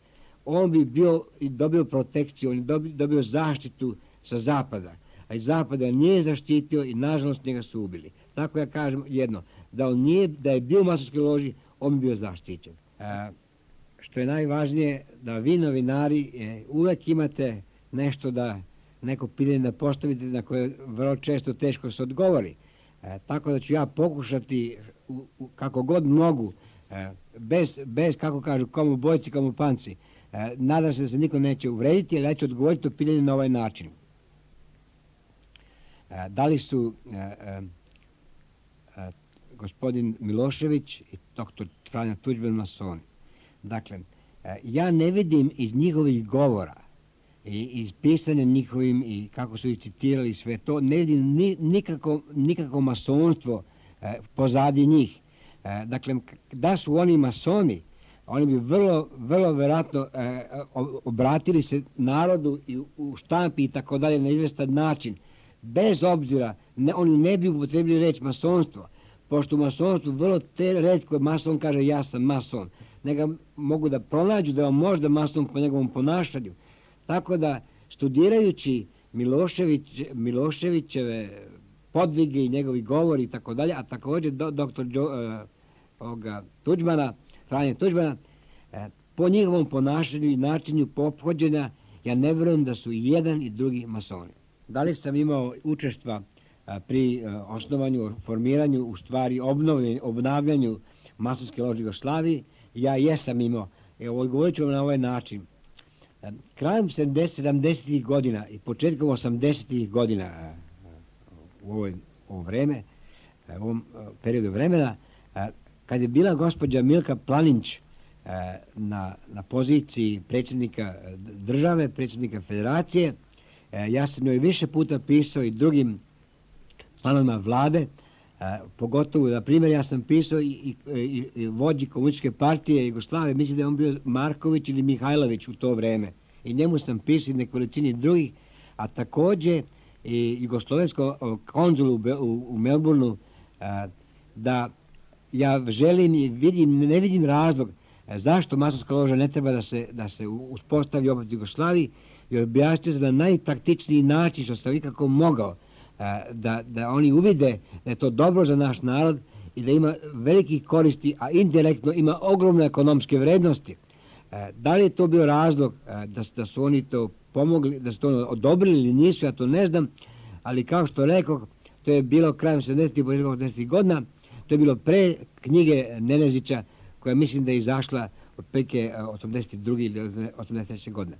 on bi bio i dobio protekciju, on bi dobio zaštitu sa zapada, a iz zapada nije zaštitio i nažalost njega su ubili. Tako ja kažem jedno, da je bio u masonskoj loži, on bi bio zaštićen. Što je najvažnije, da vi novinari uvek imate nešto neko pitanje da postavite na koje vrlo često teško se odgovori. Tako da ću ja pokušati kako god mogu, bez kako kažu, komu bojci, komu panci. Nadam se da se niko neće uvrediti, ali ja ću odgovoriti to pitanje na ovaj način. Da li su gospodin Milošević i doktor Franjo Tuđman masoni? Dakle, ja ne vidim iz njihovih govora i iz pisanja njihovim i kako su ih citirali sve to, ne vidim nikako masonstvo pozadi njih. Dakle, da su oni masoni, oni bi vrlo verovatno obratili se narodu i u štampi i tako dalje na izvestan način. Bez obzira, oni ne bi upotrebili reč masonstvo, pošto u masonstvu vrlo retko mason kaže ja sam mason. Neka mogu da pronađu da je on možda mason po njegovom ponašanju. Tako da, studirajući Miloševićeve podvige i njegovi govori i tako dalje, a također doktor Tuđmana, Franje Tuđmana, po njihovom ponašanju i načinu ophođenja, ja ne vjerujem da su i jedan i drugi masoni. Da li sam imao učestva pri osnovanju, formiranju, u stvari obnavljanju masonske lože Jugoslavije? Ja jesam imao. Evo, govorit ću vam na ovaj način. Krajem 70-ih godina i početkom 80-ih godina u ovo vreme, u ovom periodu vremena, kad je bila gospođa Milka Planinć na poziciji predsjednika države, predsjednika federacije, ja sam joj više puta pisao i drugim članovima vlade, pogotovo, na primjer, ja sam pisao i vođi komunističke partije Jugoslavije, mislim da je on bio Marković ili Mihajlović u to vreme. I njemu sam pisao i nekolicini drugih, a također i jugoslovenskom konzulu u Melbourneu, da ja želim i ne vidim razlog zašto masonska loža ne treba da se uspostavi opet u Jugoslaviji, i objasnio sam na najpraktičniji način što sam ikako mogao, da oni uvide da je to dobro za naš narod i da ima velikih koristi, a indirektno ima ogromne ekonomske vrednosti. Da li je to bio razlog da su oni to pomogli, da su to odobrili ili nisu, ja to ne znam, ali kao što rekao, to je bilo krajem 70-ih, početkom 80-ih godina, to je bilo pre knjige Nenezića, koja mislim da je izašla otprilike 82. ili 83. godine.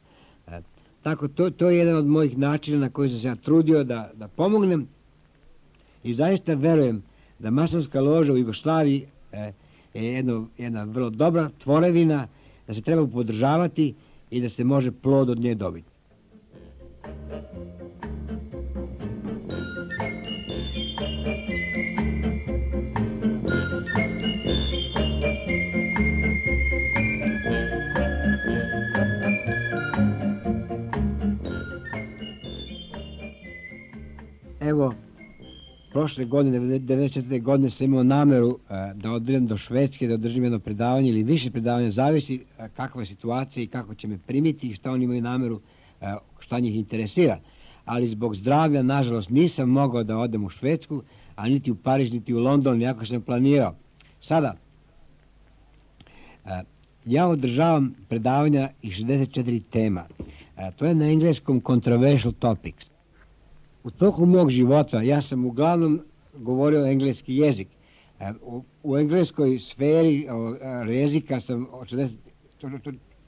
Tako, to je jedan od mojih načina na koji sam se ja trudio da pomognem i zaista verujem da masonska loža u Jugoslaviji je jedna vrlo dobra tvorevina, da se treba podržavati i da se može plod od nje dobiti. Evo, prošle godine, 94. godine, sam imao nameru da odem do Švedske, da održim jedno predavanje ili više predavanja, zavisi kakva je situacija i kako će me primiti i šta oni imaju nameru, šta njih interesira. Ali zbog zdravlja, nažalost, nisam mogao da odem u Švedsku, a niti u Pariz, niti u London, iako sam planirao. Sada, ja održavam predavanja i 64 tema. To je na engleskom controversial topics. U toku mog života ja sam uglavnom govorio engleski jezik. U engleskoj sferi jezika sam od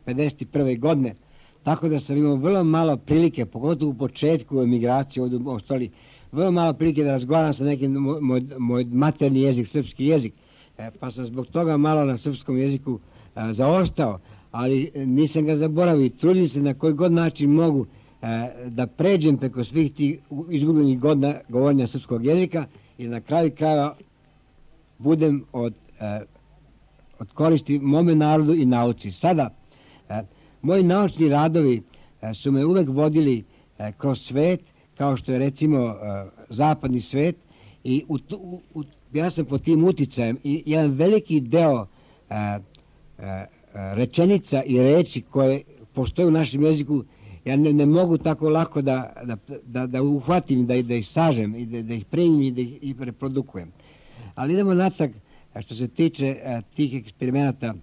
51. godine, tako da sam imao vrlo malo prilike, pogotovo u početku emigracije ovdje u Australiji, vrlo malo prilike da razgovaram sa nekim moj materni jezik, srpski jezik, pa sam zbog toga malo na srpskom jeziku zaostao, ali nisam ga zaboravio i trudim se na koji god način mogu da pređem preko svih tih izgubljenih godina govorenja srpskog jezika i na kraju kraja budem od koristi mome narodu i nauci. Sada, moji naučni radovi su me uvek vodili kroz svet kao što je recimo zapadni svet, i ja sam pod tim uticajem i jedan veliki deo rečenica i reči koje postoje u našem jeziku, ja ne mogu tako lako da uhvatim, da ih sažem i da ih primim i da ih reprodukujem. Ali idemo natrag što se tiče tih eksperimenata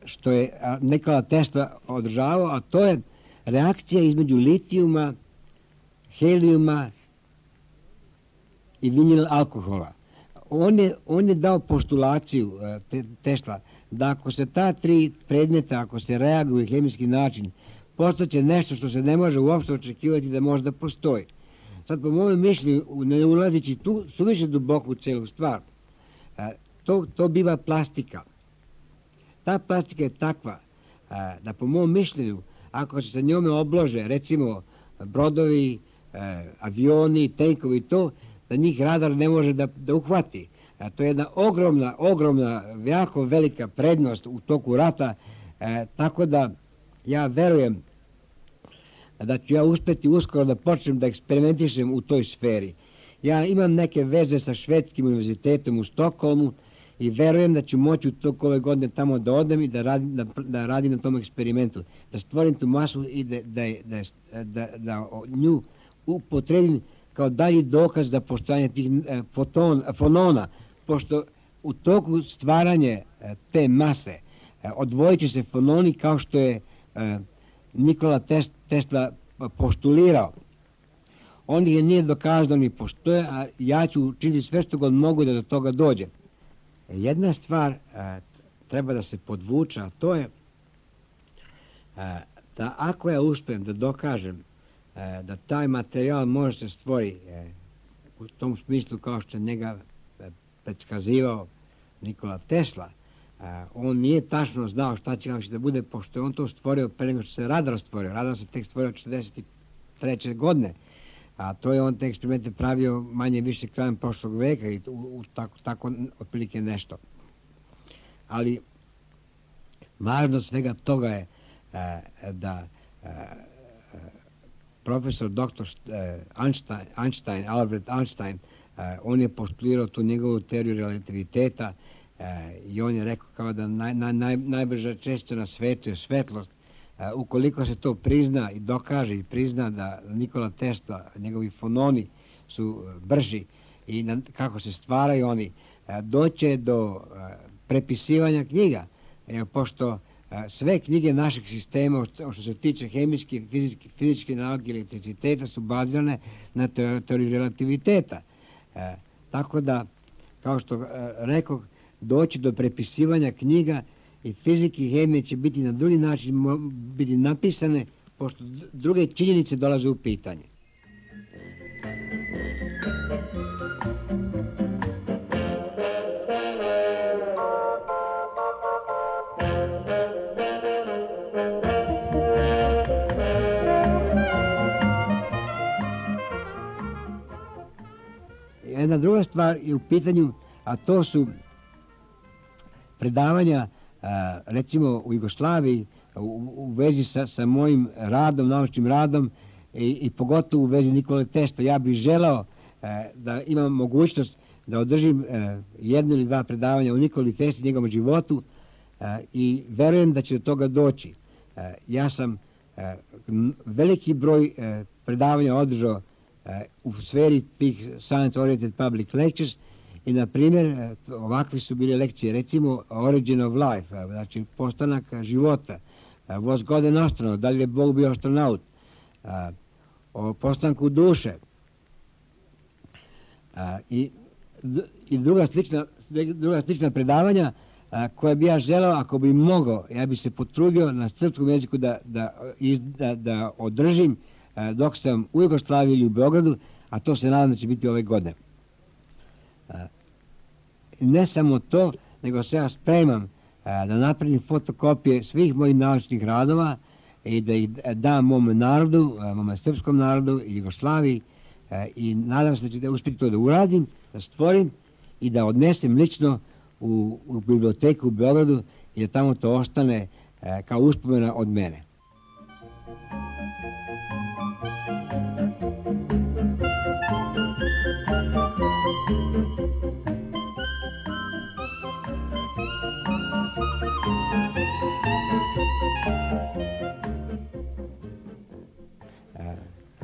što je Nikola Tesla održavao, a to je reakcija između litijuma, helijuma i vinil alkohola. On je dao postulaciju Tesla da ako se ta tri predmeta, ako se reaguju hemijski način, postaće nešto što se ne može uopšte očekivati da možda postoji. Sad, po mojem mišljenju, ne ulazići tu suviše duboko u celu stvar, to biva plastika. Ta plastika je takva da, po mom mišljenju, ako se sa njome oblože, recimo, brodovi, avioni, tenkovi i to, da njih radar ne može da uhvati. To je jedna ogromna, jako velika prednost u toku rata, tako da ja verujem da ću ja uspjeti uskoro da počnem da eksperimentišem u toj sferi. Ja imam neke veze sa švedskim univerzitetom u Stokholmu i verujem da ću moći u toku ove godine tamo da odem i da radim na tom eksperimentu, da stvorim tu masu i da nju upotrebim kao dalji dokaz za postojanje tih fonona, pošto u toku stvaranje te mase odvojit će se fononi kao što je Nikola Tesla postulirao. On ih nije dokazao da oni postoje, a ja ću učiniti sve što god mogu da do toga dođe. Jedna stvar treba da se podvuče, a to je da ako ja uspijem da dokažem da taj materijal može se stvori u tom smislu kao što je njega predskazivao Nikola Tesla, on nije tačno znao šta će da bude, pošto je on to stvorio pre nego što se radar stvorio. Radar se tek stvorio 1943. godine, a to je on te eksperimente pravio manje više krajem prošlog veka i tako otprilike nešto. Ali važnost svega toga je da profesor dr. Einstein, Albert Einstein, on je postulirao tu njegovu teoriju relativiteta i on je rekao kao da najbrža čestica na svetu je svetlost. Ukoliko se to prizna i dokaže i prizna da Nikola Tesla, njegovi fononi su brži i kako se stvaraju oni, doće do prepisivanja knjiga, pošto sve knjige našeg sistema što se tiče hemijske, fizičke nauke i elektriciteta su bazirane na teoriji relativiteta. Tako da, kao što rekao, doći do prepisivanja knjiga i fizike i hemije će biti na drugi način biti napisane, pošto druge činjenice dolaze u pitanje. Jedna druga stvar je u pitanju, a to su predavanja recimo u Jugoslaviji u vezi sa mojim radom, naučnim radom i pogotovo u vezi Nikole Tesla. Ja bih želao da imam mogućnost da održim jedno ili dva predavanja o Nikoli Tesli, njegovom životu i verujem da će do toga doći. Ja sam veliki broj predavanja održao u sferi tih science-oriented public lectures i, na primjer, ovakve su bile lekcije, recimo Origin of Life, znači postanak života, Was God an astronaut, da li je Bog bio astronaut, o postanku duše i druga slična predavanja koje bi ja želeo, ako bi mogao, ja bi se potrudio na srpskom jeziku da održim dok sam u Jugoslaviji ili u Beogradu, a to se nadam da će biti ove godine. Ne samo to, nego se ja spremam da napravim fotokopije svih mojih naučnih radova i da ih dam mom narodu, mom srpskom narodu i Jugoslaviji i nadam se da ću da uspjeti to da uradim, da stvorim i da odnesem lično u biblioteku u Beogradu i da tamo to ostane kao uspomena od mene.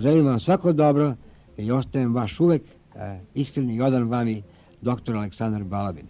Želim vam svako dobro i ostajem vaš uvek iskreni i odan vami dr. Aleksandar Balabin.